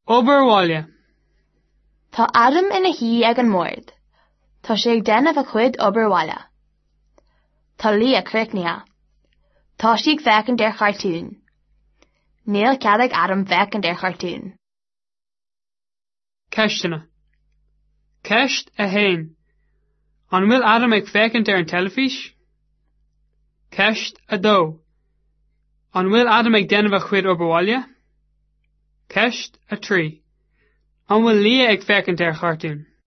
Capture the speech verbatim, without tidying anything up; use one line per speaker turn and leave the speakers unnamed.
Obair bhaile.
Tá Adam ina shuí ag an mbord. Tá sé ag déanamh a chuid obair bhaile. Tá Lia críochnaithe. Tá sí ag féachaint ar chartún. Níl cead ag Adam féachaint ar chartún.
Ceisteanna. Ceist a haon. An bhfuil Adam ag féachaint ar an teilifís? Ceist a dó. An bhfuil Adam ag déanamh a chuid obair bhaile? Ceist a trí. An bhfuil Lia ag féachaint ar chartún?